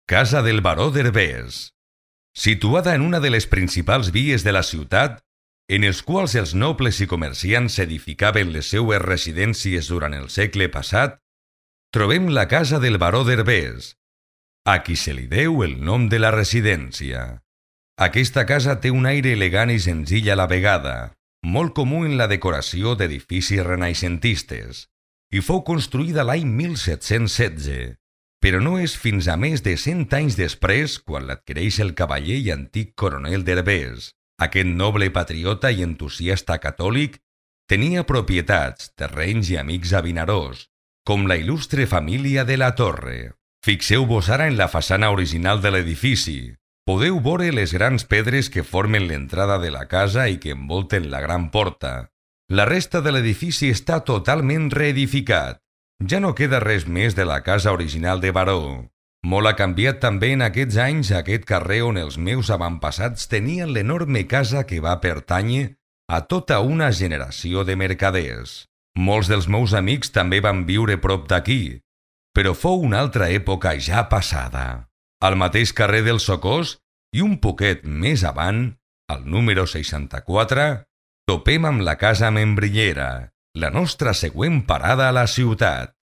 Casa del baró d'Herbers. Situada en una de les principals vies de la ciutat, en els quals els nobles i comerciants edificaven les seues residències durant el segle passat, trobem la casa del baró d'Herbers, a qui se li deu el nom de la residència. Aquesta casa té un aire elegant i senzill a la vegada, molt comú en la decoració d'edificis renaixentistes, i fou construïda l'any 1716, però no és fins a més de 100 anys després quan l'adquireix el cavaller i antic coronel d'Herbers. Aquest noble patriota i entusiasta catòlic tenia propietats, terrenys i amics a Vinaròs, com la il·lustre família de la Torre. Fixeu-vos ara en la façana original de l'edifici. Podeu veure les grans pedres que formen l'entrada de la casa i que envolten la gran porta. La resta de l'edifici està totalment reedificat. Ja no queda res més de la casa original de Baró. Molt ha canviat també en aquests anys aquest carrer on els meus avantpassats tenien l'enorme casa que va pertànyer a tota una generació de mercaders. Molts dels meus amics també van viure prop d'aquí, però fou una altra època ja passada. Al mateix carrer del Socors i un poquet més avant, al número 64, topem amb la casa Membrillera, la nostra següent parada a la ciutat.